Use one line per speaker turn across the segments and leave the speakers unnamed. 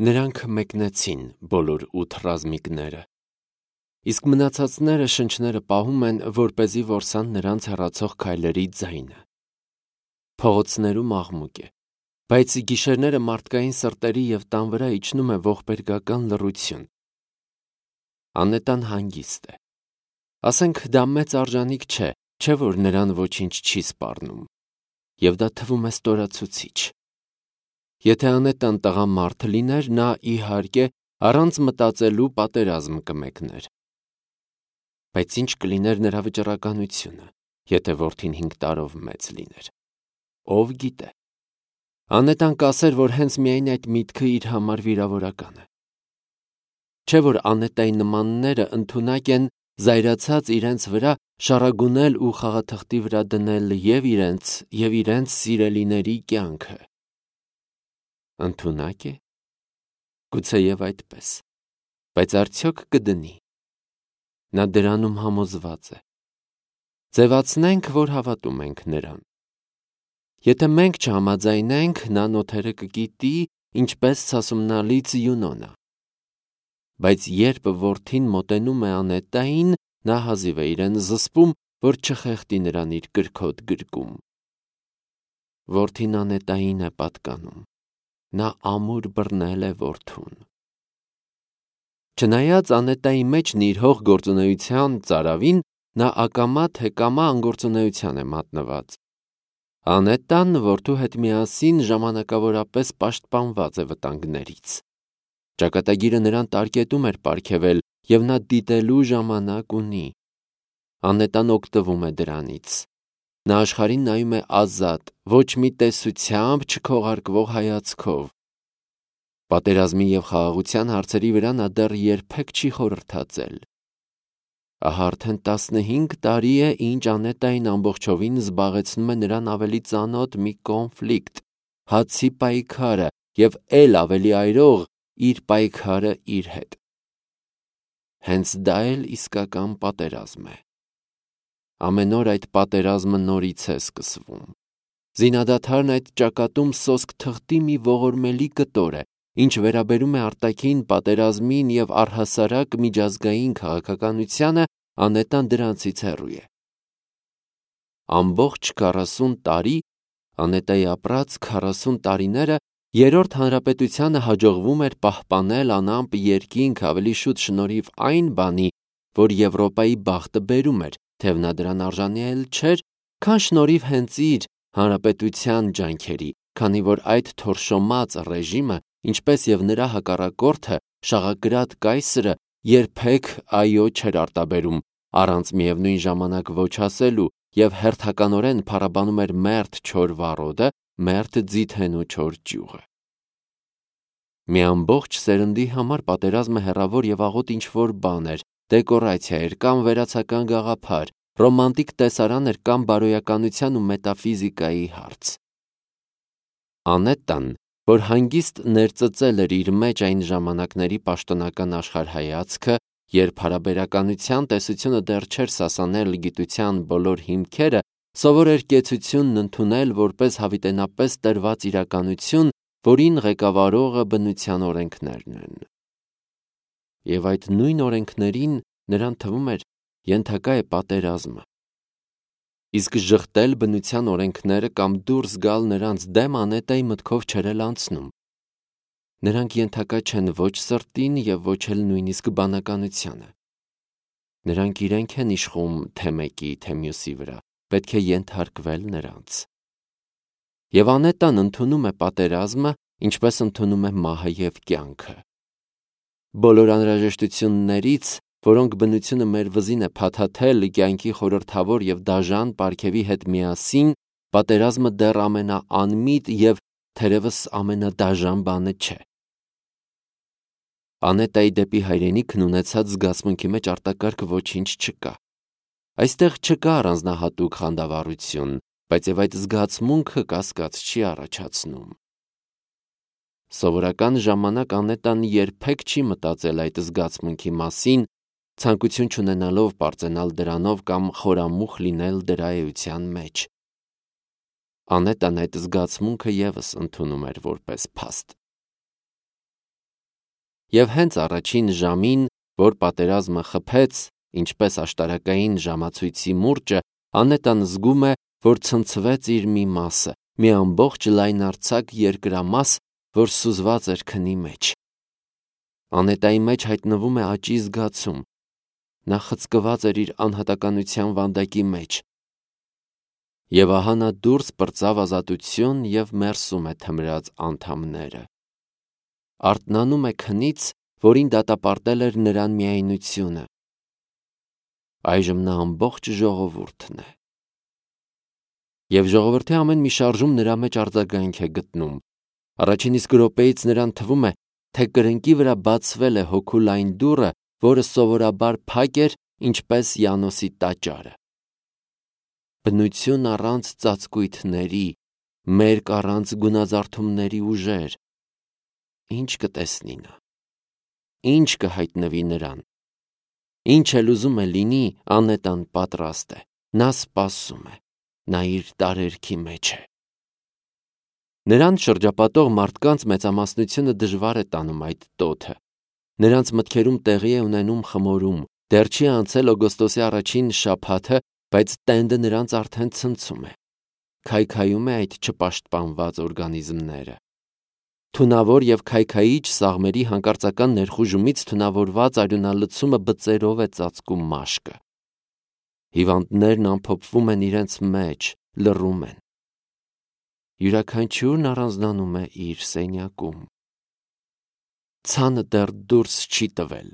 Նրանք մեկնեցին բոլոր 8 ռազմիկները, իսկ մնացածները շնչները պահում են, որպեսզի որսան նրանց հեռացող քայլերի ձայնը։ Փողոցներում աղմուկ է, բայց գիշերները մարդկային սրտերի և տան վրա իջնում է ողբերգական լռություն։ Անետան հանգիստ է։ Ասենք դա մեծ արժանիք չէ, որ նրան ոչինչ չի սպառնում, և դա թվում է ստորացուցիչ։ Եթե Անետան տղամարդ լիներ, նա, իհարկե, առանց մտածելու պատերազմ կմեկներ։ Բայց ինչ կլիներ նրա վճռականությունը, եթե որդին 5 տարով մեծ լիներ։ Ով գիտե։ Անետան կասեր, որ հենց միայն այդ միտքը իր համար վիրավորական է։ Չէ՞ որ Անետայի նմանները ընդունակ են զայրացած իրենց վրա շառագունել ու խաղաթղթի վրա դնել և իրենց, և իրենց սիրելիների կյանքը։ Ընդունակ է։ Գուցեև այդպես, բայց արդյոք կդնի։ Նա դրանում համոզված է։ Ձևացնենք, որ հավատում ենք նրան։ Եթե մենք չհամաձայնենք, նա նոթերը կկիտի, ինչպես Սասումնալից Յունոնը։ Բայց երբ որդին մոտենում է Անետային, նա հազիվ է իրեն զսպում, որ չխեղդի նրան իր կրքոտ գրկում։ Որդին Անետային է պատկանում։ Նա ամուր բռնել է որդուն։ Չնայած Անետայի մեջ նիրհող գործունեության ծարավին, նա ակամա թե կամա անգործունեության է մատնված։ Անետան որդու հետ միասին ժամանակավորապես պաշտպանված է վտանգներից։ Ճակատագիրը նրան տարկետում էր պարգևել, և նա դիտելու ժամանակ ունի։ Անետան օգտվում է դրանից։ Նա աշխարհին նայում է ազատ, ոչ մի տեսությամբ չքողարկվող հայացքով։ Պատերազմի և խաղաղության հարցերի վրա նա դեռ երբեք չի խորհրդածել։ Ահա արդեն 15 տարի է, ինչ Անետային ամբողջովին զբաղեցնում է նրան ավելի ծանոթ մի կոնֆլիկտ, հացի պայքարը և էլ ավելի այրող իր պայքարը իր հետ։ Հենց դա էլ իսկական պատերազմ է։ Ամեն օր այդ պատերազմը նորից է սկսվում։ Զինադադարն այդ ճակատում սոսկ թղթի մի ողորմելի կտոր է, ինչ վերաբերում է արտաքին պատերազմին և առհասարակ միջազգային քաղաքականությանը, Անետան դրանցից հեռու է։ Ամբողջ 40 տարի, Անետայի ապրած 40 տարիները, Երրորդ հանրապետությանը հաջողվում էր պահպանել անամպ երկինք ավելի շուտ շնորհիվ այն բանի, որ Եվրոպայի բախտը բերում էր, թեև նա դրան արժանի էլ չէր, քան շնորհիվ հենց իր հանրապետության ջանքերի, քանի որ այդ թորշոմած ռեժիմը, ինչպես և նրա հակառակորդը, շաղակրատ կայսրը, երբեք այո չէր արտաբերում, առանց միևնույն ժամանակ ոչ ասելու, և հերթականորեն փառաբանում էր մերթ չոր վառոդը, մերթ ձիթենու չոր ճյուղը։ Մի ամբողջ սերնդի համար պատերազմը հեռավոր և աղոտ ինչ-որ բան էր, դեկորացիա էր կամ վերացական գաղափար, ռոմանտիկ տեսարան էր կամ բարոյականության ու մետաֆիզիկայի հարց։ Անետան, որ հանգիստ ներծծել էր իր մեջ այն ժամանակների պաշտոնական աշխարհայացքը, երբ հարաբերականության տեսությունը դեռ չէր սասանել գիտության բոլոր հիմքերը, սովոր էր կեցությունն ընդունել որպես հավիտենապես տրված իրականություն, որին ղեկավարողը բնության օրենքներն են։ Եվ այդ նույն օրենքներին նրան թվում էր ենթակա է պատերազմը։ Իսկ ժխտել բնության օրենքները կամ դուրս գալ նրանց դեմ Անետայի մտքով չէր էլ անցնում։ Նրանք ենթակա չեն ոչ սրտին և ոչ էլ նույնիսկ բանականությանը։ Նրանք իրենք են իշխում թե մեկի, թե մյուսի վրա, պետք է ենթարկվել նրանց։ Եվ Անետան ընդունում է պատերազմը, ինչպես ընդունում է մահը և կյանքը։ Բոլոր անհրաժեշտություններից, որոնք բնությունը մեր վզին է փաթաթել կյանքի խորհրդավոր և դաժան պարգևի հետ միասին, պատերազմը դեռ ամենաանմիտ և թերևս ամենադաժան բանը չէ։ Անետայի դեպի հայրենիքն ունեցած զգացմունքի մեջ արտակարգ ոչինչ չկա։ Այստեղ չկա առանձնահատուկ խանդավառություն, բայց և այդ զգացմունքը կասկած չի առաջացնում։ Սովորական ժամանակ Անետան երբեք չի մտածել այդ զգացմունքի մասին, ցանկություն չունենալով պարծենալ դրանով կամ խորամուխ լինել դրա էության մեջ։ Անետան այդ զգացմունքը ևս ընդունում էր որպես փաստ։ Եվ հենց առաջին ժամին, որ պատերազմը խփեց, ինչպես աշտարակային ժամացույցի մուրճը, Անետան զգում է, որ ցնցվեց իր մի մասը, մի ամբողջ լայնարձակ երկրամաս, որ սուզված էր քնի մեջ։ Անետայի մեջ հայտնվում է աճի զգացում։ Նա խցկված էր իր անհատականության վանդակի մեջ։ Եվ ահա նա դուրս պրծավ ազատություն և մերսում է թմրած անդամները։ Արթնանում է քնից, որին դատապարտել էր նրան միայնությունը։ Այժմ նա ամբողջ ժողովուրդն է։ Եվ ժողովրդի ամեն մի շարժում նրա մեջ արձագանք է գտնում։ Առաջին իսկ րոպեից նրան թվում է, թե կրնկի վրա բացվել է հոգու լայն դուռը, որը սովորաբար փակ էր, ինչպես Յանոսի տաճարը։ Բնություն առանց ծածկույթների, մերկ առանց գունազարդումների ուժեր։ Ինչ կտեսնի նա։ Ինչ կհայտնվի նրան։ Ինչ էլ ուզում է լինի, Անետան պատրաստ է։ Նա սպասում է։ Նա իր տարերքի մեջ է։ Նրան շրջապատող մարդկանց մեծամասնությունը դժվար է տանում այդ տոթը։ Նրանց մտքերում տեղի է ունենում խմորում։ Դեռ չի անցել օգոստոսի առաջին շաբաթը, բայց տենդը նրանց արդեն ցնցում է։ Քայքայում է այդ չպաշտպանված օրգանիզմները։ Թունավոր և քայքայիչ սաղմերի հանկարծական ներխուժումից թունավորված արյունալցումը բծերով է ծածկում մաշկը։ Հիվանդներն ամփոփվում են իրենց մեջ, լռում են։ Յուրաքանչյուրն առանձնանում է իր սենյակում։ Ցանը դեռ դուրս չի տվել։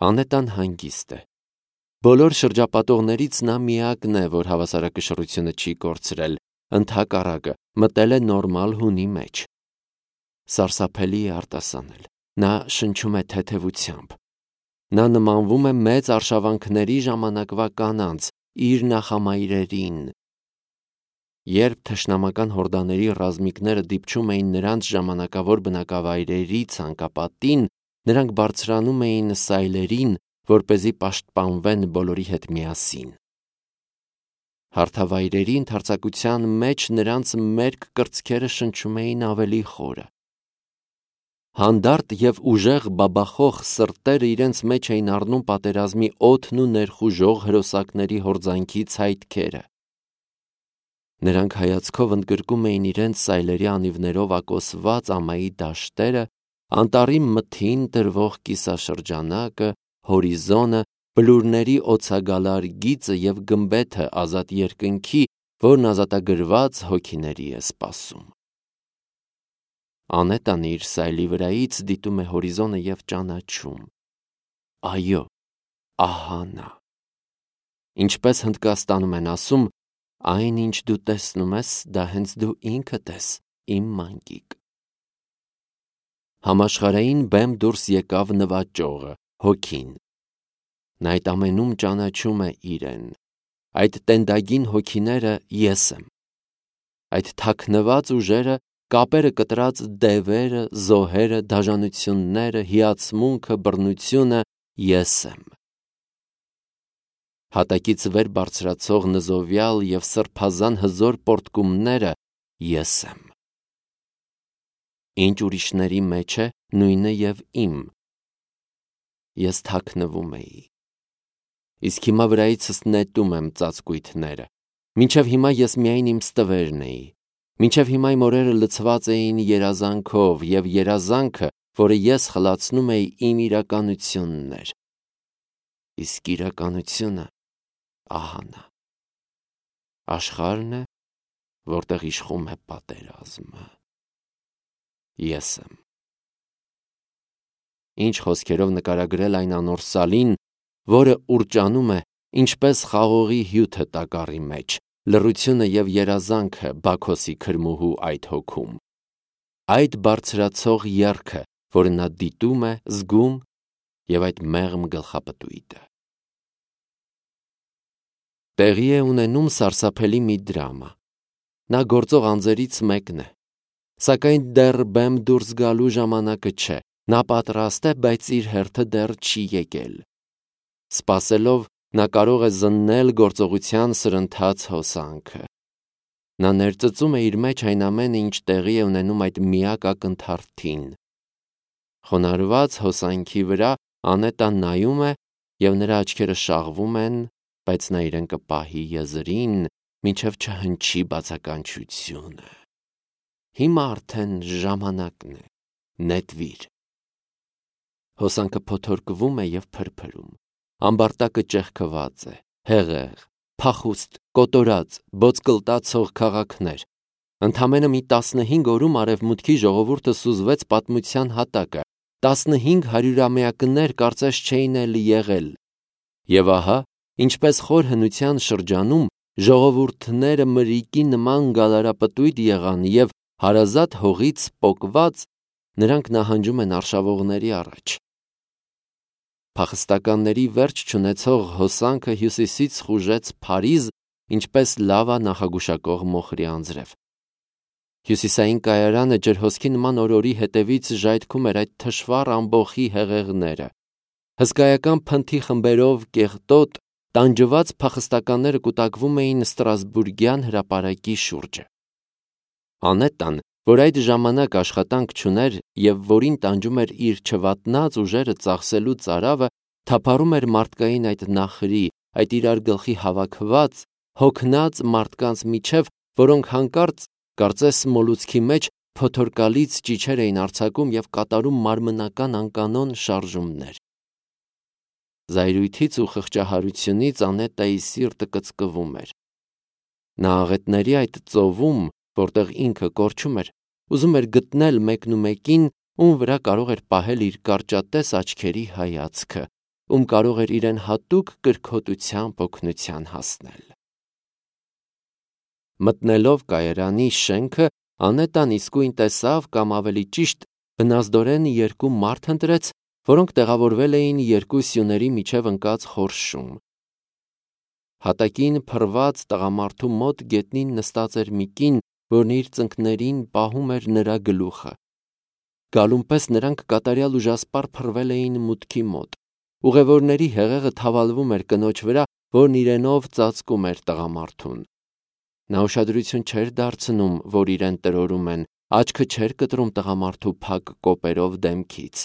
Անետան հանգիստ է։ Բոլոր շրջապատողներից նա միակն է, որ հավասարակշռությունը չի կորցրել, ընդհակառակը մտել է նորմալ հունի մեջ։ Սարսափելի է արտասանել։ Նա շնչում է թեթևությամբ։ Նա նմանվում է մեծ արշավանքների ժամանակվա կանանց, իր նախամայրերին։ Երբ թշնամական հորդաների ռազմիկները դիպչում էին նրանց ժամանակավոր բնակավայրերի ցանկապատին, նրանք բարձրանում էին սայլերին, որպեսզի պաշտպանվեն բոլորի հետ միասին։ Հարթավայրերի ընդարձակության մեջ նրանց մերկ կրծքերը շնչում էին ավելի խորը։ Հանդարտ և ուժեղ բաբախող սրտերը իրենց մեջ էին առնում պատերազմի օդն ու ներխուժող հրոսակների հորձանքի ցայտքերը։ Նրանք հայացքով ընդգրկում էին իրենց սայլերի անիվներով ակոսված ամայի դաշտերը, անտառի մթին տրվող կիսաշրջանակը, հորիզոնը, բլուրների օձագալար գիծը և գմբեթը ազատ երկնքի, որն ազատագրված հոգիների է սպասում։ Անետան իր սայլի վրայից դիտում է հորիզոնը և ճանաչում։ Այո, ահա նա։ Ինչպես Հնդկաստանում են ասում, այն, ինչ դու տեսնում ես, դա հենց դու ինքդ ես, իմ մանկիկ։ Համաշխարհային բեմ դուրս եկավ նվաճողը, հոգին։ Նա այդ ամենում ճանաչում է իրեն։ Այդ տենդագին հոգիները ես եմ։ Այդ թաքնված ուժերը, կապերը կտրած դևերը, զոհերը, դաժանությունները, հիացմունքը, բռնությունը ես եմ։ Հատակից վեր բարձրացող նզովյալ և սրբազան հզոր պոռթկումները ես եմ։ Ինչ ուրիշների մեջ է, նույնը և իմ։ Ես թաքնվում էի։ Իսկ հիմա վրայիցս նետում եմ ծածկույթները։ Մինչև հիմա ես միայն իմ ստվերն էի։ Մինչև հիմա իմ օրերը լցված էին երազանքով, և երազանքը, որը ես խլացնում էի, իմ իրականությունն էր։ Իսկ իրականությունը ահա նա։ Աշխարհն է, որտեղ իշխում է պատերազմը։ Ես եմ։ Ինչ խոսքերով նկարագրել այն անոր սալին, որը ուռճանում է, ինչպես խաղողի հյութը տակառի մեջ, լռությունը և երազանքը Բաքոսի քրմուհու այդ հոգում։ Այդ բարձրացող եռքը, որը նա դիտում է, զգում, և այդ մեղմ գլխապտույտը։ Տեղի է ունենում սարսափելի մի դրամա։ Նա գործող անձերից մեկն է։ Սակայն դեռ բեմ դուրս գալու ժամանակը չէ։ Նա պատրաստ է, բայց իր հերթը դեռ չի եկել։ Սպասելով, նա կարող է զննել գործողության սրընթաց հոսանքը։ Նա ներծծում է իր մեջ այն ամենը, ինչ տեղի է ունենում այդ միակ ակնթարթին։ Խոնարհված հոսանքի վրա Անետան նայում է և նրա աչքերը շաղվում են, բայց նա իրեն կպահի եզրին, մինչև չհնչի բացականչությունը։ Հիմա արդեն ժամանակն է, նետվիր։ Հոսանքը փոթորկվում է և փրփրում։ Ամբարտակը ճեղքված է, հեղեղ, փախուստ, կոտորած, ոսկլտացող քաղաքներ։ Ընդամենը մի 15 օրում արևմուտքի ժողովուրդը սուզվեց պատմության հատակը, 15 հարյուրամյակներ կարծես չէին էլ եղել։ Եվ ահա, ինչպես խոր հնության շրջանում, ժողովուրդները մրրիկի նման գալարապտույտ եղան և հարազատ հողից պոկված, նրանք նահանջում են արշավողների առաջ։ Փախստականների վերջ չունեցող հոսանքը հյուսիսից խուժեց Փարիզ, ինչպես լավա նախագուշակող մոխրի անձրև։ Հյուսիսային կայարանը ջրհոսքի նման օրորի հետևից ժայթքում էր այդ թշվառ ամբոխի հեղեղները։ Հսկայական փնթի խմբերով կեղտոտ, տանջված փախստականները կուտակվում էին Ստրասբուրգյան հրապարակի շուրջը։ Անետան, որ այդ ժամանակ աշխատանք չուներ և որին տանջում էր իր չվատնած ուժերը ծախսելու ծարավը, թափառում էր մարդկային այդ նախրի, այդ իրար գլխի հավաքված, հոգնած մարդկանց միջև, որոնք հանկարծ, կարծես մոլուցքի մեջ, փոթորկալից ճիչեր էին արձակում և կատարում մարմնական անկանոն շարժումներ։ Զայրույթից ու խղճահարությունից Անետայի սիրտը կծկվում էր։ Նա աղետների այդ ծովում, որտեղ ինքը կորչում էր, ուզում էր գտնել մեկնումեկին, ում վրա կարող էր պահել իր կարճատես աչքերի հայացքը, ում կարող էր իրեն հատուկ կրքոտությամբ օգնության հասնել։ Մտնելով կայարանի շենքը, Անետան իսկույն տեսավ, կամ ավելի ճիշտ, բնազդորեն երկու մարդ ընտրեց, որոնք տեղավորվել էին երկու սյուների միջև ընկած խորշում։ Հատակին փռված տղամարդու մոտ գետնին նստած էր մի կին, որն իր ծնկներին պահում էր նրա գլուխը։ Գալուն պես նրանք կատարյալ ուժասպառ փռվել էին մուտքի մոտ։ Ուղևորների հեղեղը թավալվում էր կնոջ վրա, որն իրենով ծածկում էր տղամարդուն։ Նա ուշադրություն չէր դարձնում, որ իրեն տրորում են, աչքը չէր կտրում տղամարդու փակ կոպերով դեմքից։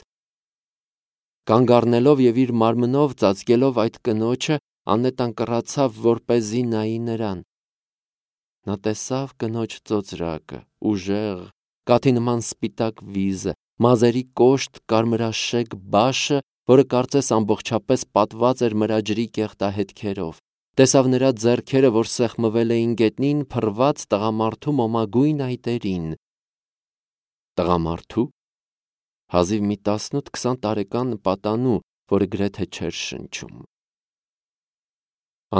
Կանգ առնելով և իր մարմնով ծածկելով այդ կնոջը, Անետան կռացավ, որպեսզի նայի նրան։ Նա տեսավ կնոջ ծոծրակը, ուժեղ, կաթի նման սպիտակ վիզը, մազերի կոշտ կարմրաշեկ բաշը, որը կարծես ամբողջապես պատված էր մրաջրի կեղտահետքերով։ Տեսավ նրա ձեռքերը, որ սեղմվել էին գետնին փռված տղամարդու մոմագույն այտերին։ Տղամարդու՞։ Հազիվ մի 18-20 տարեկան պատանու, որը գրեթե չէր շնչում։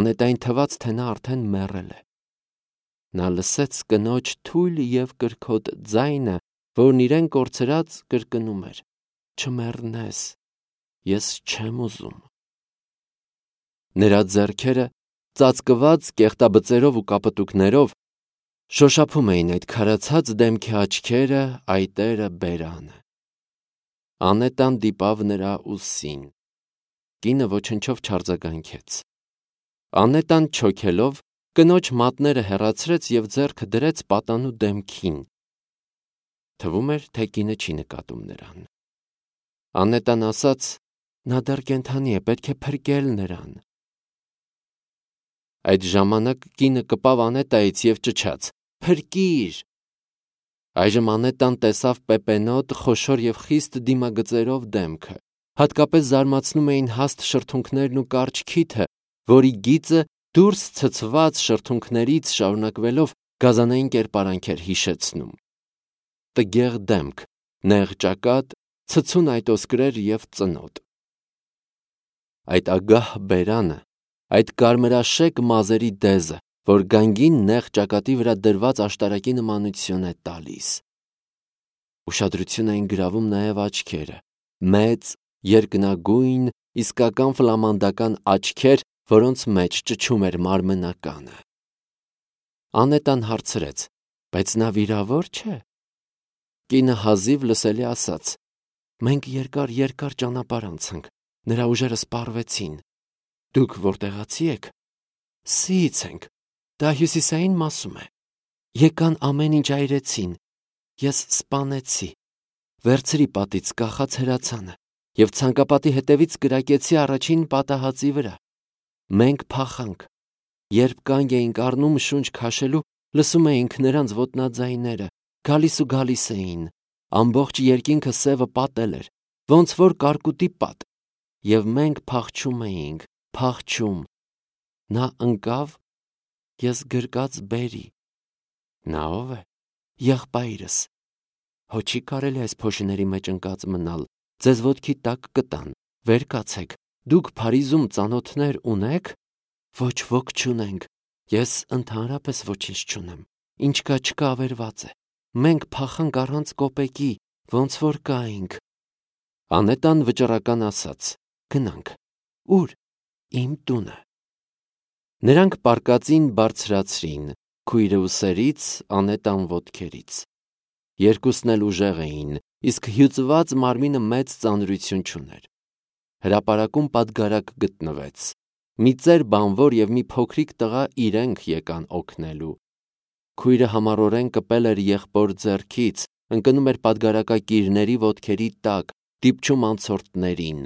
Անետային թվաց, թե նա արդեն մեռել է։ Նա լսեց կնոջ թույլ և կրքոտ ձայնը, որն իրեն կորցրած կրկնում էր. «Չմեռնես, ես չեմ ուզում»։ Նրա ձեռքերը, ծածկված կեղտաբծերով ու կապտուկներով, շոշափում էին այդ քարացած դեմքի աչքերը, այտերը, բերանը։ Անետան դիպավ նրա ուսին։ Կինը ոչնչով չարձագանքեց։ Անետան չոքելով, կնոջ մատները հեռացրեց և ձեռքը դրեց պատանու դեմքին։ Թվում էր, թե կինը չի նկատում նրան։ Անետան ասաց. «Նա դեռ կենդանի է, պետք է փրկել նրան»։ Այդ ժամանակ կինը կպավ Անետայից և ճչաց. «Փրկիր»։ Այժմ Անետան տեսավ պեպենոտ, խոշոր և խիստ դիմագծերով դեմքը։ Հատկապես զարմացնում էին հաստ շրթունքներն ու կարճ քիթը, որի գիծը դուրս ցցված շրթունքներից շարունակվելով գազանային կերպարանք էր հիշեցնում։ Տգեղ դեմք, նեղ ճակատ, ցցուն այտոսկրեր և ծնոտ։ Այդ ագահ բերանը, այդ կարմրաշեկ մազերի դեզը, որ գանգին նեղ ճակատի վրա դրված աշտարակի նմանություն է տալիս։ Ուշադրություն էին գրավում նաև աչքերը, մեծ, երկնագույն, իսկական ֆլամանդական աչքեր, որոնց մեջ ճչում էր մարմնականը։ Անետան հարցրեց. «Բայց նա վիրավոր չէ»։ Կինը հազիվ լսելի ասաց. «Մենք երկար ճանապարհ անցանք, նրա ուժերը սպառվեցին։ Դուք որտեղացի եք։ Սիից ենք, դա հյուսիսային մասում է։ Եկան ամեն ինչ այրեցին, ես սպանեցի։ վերցրի պատից կախած հրացանը և ցանկապատի հետևից կրակեցի առաջին պատահածի վրա։ Մենք փախանք։ Երբ կանգ էինք առնում շունչ քաշելու, լսում էինք նրանց ոտնաձայները, գալիս էին։ Ամբողջ երկինքը սևը պատել էր, ոնց որ կարկուտի պատ, և մենք փախչում էինք, փախչում։ Նա ընկավ, ես գրկած բերի։ Նա ո՞վ է։ Եղբայրս։ Հո չի կարելի այս փոշիների մեջ ընկած մնալ, ձեզ ոտքի տակ կտան, վեր կացեք, դուք Փարիզում ծանոթներ ունե՞ք։ Ոչ, ոք չունենք, ես ընդհանրապես ոչինչ չունեմ, ինչ կա չկա ավերված է, մենք փախանք առանց կոպեկի, ոնց որ կայինք։ Անետան վճռական ասաց. գնանք։ Ուր։ Իմ տունը։ Նրանք պարկածին բարձրացրին, քույրը ուսերից, Անետան ոտքերից։ Երկուսն էլ ուժեղ էին, իսկ հյուծված մարմինը մեծ ծանրություն չուներ։ Հրապարակում պատգարակ գտնվեց։ Մի ծեր բանվոր և մի փոքրիկ տղա իրենք եկան օգնելու։ Քույրը համառորեն կպել էր եղբոր ձեռքից, ընկնում էր պատգարակակիրների ոտքերի տակ, դիպչում անցորդներին։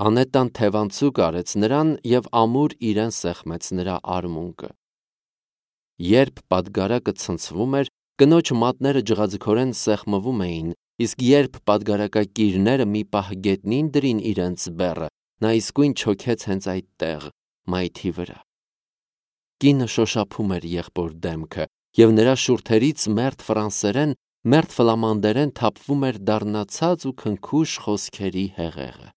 Անետան թևանցուկ արեց նրան և ամուր իրեն սեղմեց նրա արմունկը։ Երբ պատգարակը ցնցվում էր, կնոջ մատները ջղաձգորեն սեղմվում էին, իսկ երբ պատգարակակիրները մի պահ գետնին դրին իրենց բեռը, նա իսկույն չոքեց հենց այդտեղ, մայթի վրա։ Կինը շոշափում էր եղբոր դեմքը, և նրա շուրթերից մերթ ֆրանսերեն, մերթ ֆլամանդերեն թափվում էր դառնացած ու քնքուշ խոսքերի հեղեղը։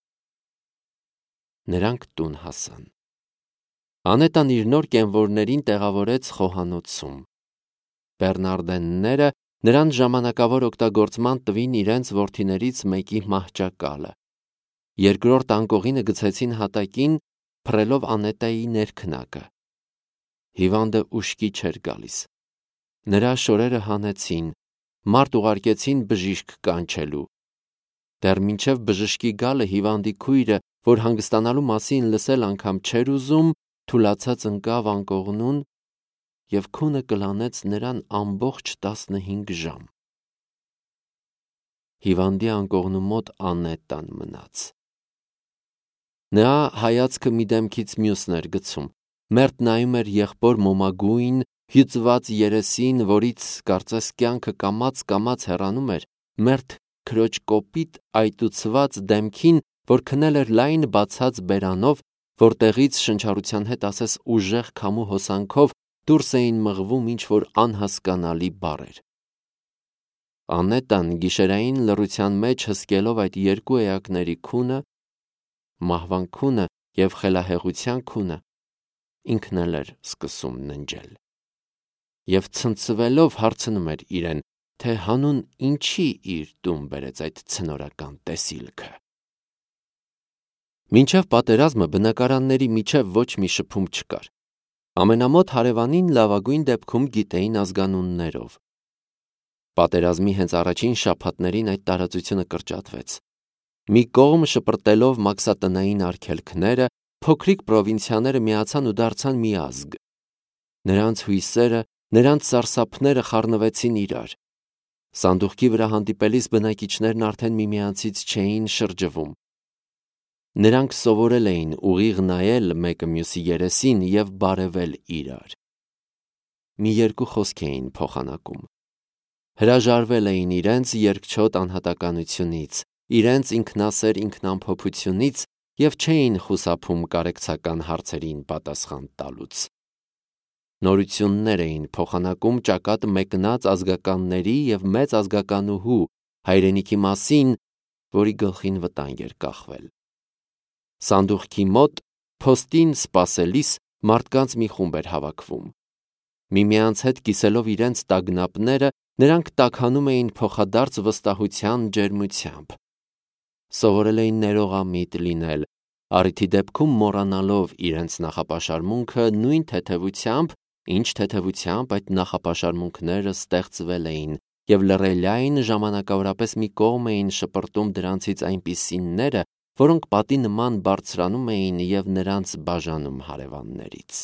Նրանք տուն հասան։ Անետան իր նոր կենվորներին տեղավորեց խոհանոցում։ Բեռնարդենները նրան ժամանակավոր օգտագործման տվին իրենց որդիներից մեկի մահճակալը։ Երկրորդ անկողինը գցեցին հատակին, փռելով Անետայի ներքնակը։ Հիվանդը ուշքի չէր գալիս։ Նրա շորերը հանեցին, մարդ ուղարկեցին բժիշկ կանչելու։ Դեռ մինչև բժշկի գալը հիվանդի քույրը, որ հանգստանալու մասին լսել անգամ չէր ուզում, թուլացած ընկավ անկողնուն և քունը կլանեց նրան ամբողջ 15 ժամ։ Հիվանդի անկողնու մոտ Անետան մնաց։ Նա հայացքը մի դեմքից մյուսն էր գցում, մերթ նայում էր եղբոր մոմագույն, հյուծված երեսին, որից կարծես կյանքը կամաց հեռանում էր, մերթ քրոջ կոպիտ այտուցված դեմքին, որ քնել էր լայն բացած բերանով, որտեղից շնչառության հետ ասես ուժեղ քամու հոսանքով դուրս էին մղվում ինչ-որ անհասկանալի բառեր։ Անետան գիշերային լռության մեջ հսկելով այդ երկու էակների քունը, մահվան քունը և խելահեղության քունը, ինքն էլ էր սկսում ննջել։ Եվ ցնցվելով հարցնում էր իրեն, թե հանուն ինչի իր տուն բերեց այդ ցնորական տեսիլքը։ Մինչև պատերազմը բնակարանների միջև ոչ մի շփում չկար։ Ամենամոտ հարևանին լավագույն դեպքում գիտեին ազգանուններով։ Պատերազմի հենց առաջին շաբաթներին այդ տարածությունը կրճատվեց։ Մի կողմ շպրտելով մաքսատնային արգելքները, փոքրիկ պրովինցիաները միացան ու դարձան մի ազգ։ Նրանց հույսերը, նրանց սարսափները խառնվեցին իրար։ Սանդուղքի վրա հանդիպելիս բնակիչներն արդեն միմյանցից չէին շրջվում։ Նրանք սովորել էին ուղիղ նայել մեկը մյուսի երեսին և բարևել իրար։ Մի երկու խոսք էին փոխանակում։ Հրաժարվել էին իրենց երկչոտ անհատականությունից, իրենց ինքնասեր ինքնամփոփությունից և չէին խուսափում կարեկցական հարցերին պատասխան տալուց։ Նորություններ էին փոխանակում ճակատ մեկնած ազգականների և մեծ ազգականուհու հայրենիքի մասին, որի գլխին վտանգ էր կախվել։ Սանդուղքի մոտ փոստին սպասելիս մարդկանց մի խումբ էր հավաքվում։ Միմյանց հետ կիսելով իրենց տագնապները, նրանք տաքանում էին փոխադարձ վստահության ջերմությամբ։ Սովորել էին ներողամիտ լինել, առիթի դեպքում մոռանալով իրենց նախապաշարմունքը նույն թեթևությամբ, ինչ թեթևությամբ այդ նախապաշարմունքները ստեղծվել էին, և լռելային ժամանակավորապես մի կողմ էին շպրտում դրանցից այնպիսիները, որոնք պատի նման բարձրանում էին և նրանց բաժանում հարևաններից։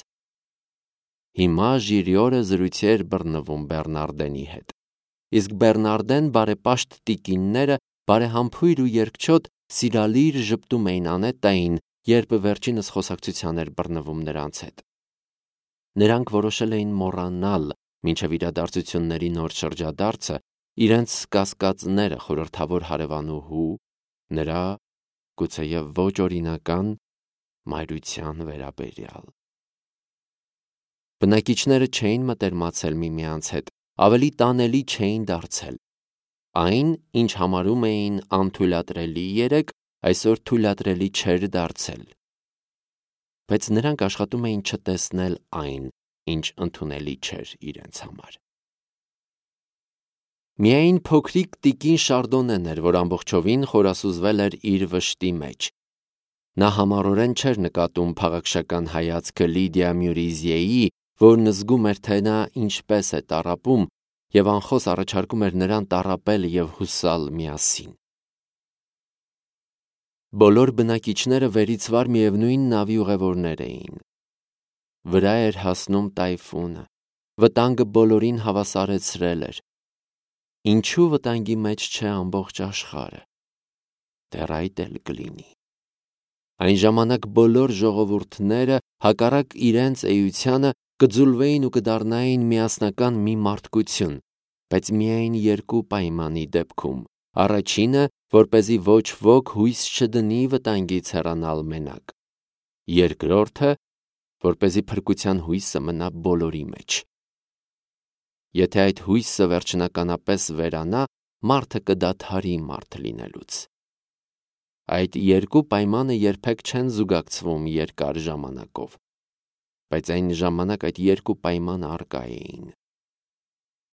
Հիմա Ժիրիորը զրույցի էր բռնվում Բեռնարդենի հետ։ իսկ Բեռնարդեն բարեպաշտ տիկինները բարեհամբույր ու երկչոտ սիրալիր ժպտում էին Անետտային, երբ վերջինս խոսակցության էր բռնվում նրանց հետ։ Նրանք որոշել էին մոռանալ մինչև իրադարձությունների նոր շրջադարձը իրենց կասկածները խորհրդավոր հարևանուհու, նրա գուցեև ոչ օրինական մայրության վերաբերյալ։ Բնակիչները չէին մտերմացել միմյանց հետ, ավելի տանելի չէին դարձել։ Այն, ինչ համարում էին անթույլատրելի երեկ, այսօր թույլատրելի չէր դարձել։ Բայց նրանք աշխատում էին չտեսնել այն, ինչ ընդունելի չէր իրենց համար։ Միայն փոքրիկ տիկին Շարդոնեն էր, որ ամբողջովին խորասուզվել էր իր վշտի մեջ։ Նա համառորեն չէր նկատում փաղաքշական հայացքը Լիդիա Մյուրիզիեի, որն զգում էր, թե նա ինչպես է տառապում, և անխոս առաջարկում էր նրան տառապել և հուսալ միասին։ Բոլոր բնակիչները վերից վար միևնույն նավի ուղևորներ էին։ Վրա էր հասնում տայֆունը, վտանգը բոլորին հավասարեցրել էր։ Ինչու վտանգի մեջ չէ ամբողջ աշխարհը։ Դեռ այդ էլ կլինի։ Այն ժամանակ բոլոր ժողովուրդները, հակառակ իրենց էությանը, կձուլվեին ու կդառնային միասնական մի մարդկություն, բայց միայն երկու պայմանի դեպքում. առաջինը, որպեսզի ոչ ոք հույս չդնի վտանգից հեռանալ մենակ. երկրորդը, որպեսզի փրկության հույսը մնա բոլորի մեջ։ Եթե այդ հույսը վերջնականապես վերանա, մարդը կդադարի մարդ լինելուց։ Այդ երկու պայմանը երբեք չեն զուգակցվում երկար ժամանակով, բայց այն ժամանակ այդ երկու պայմանը առկա էին։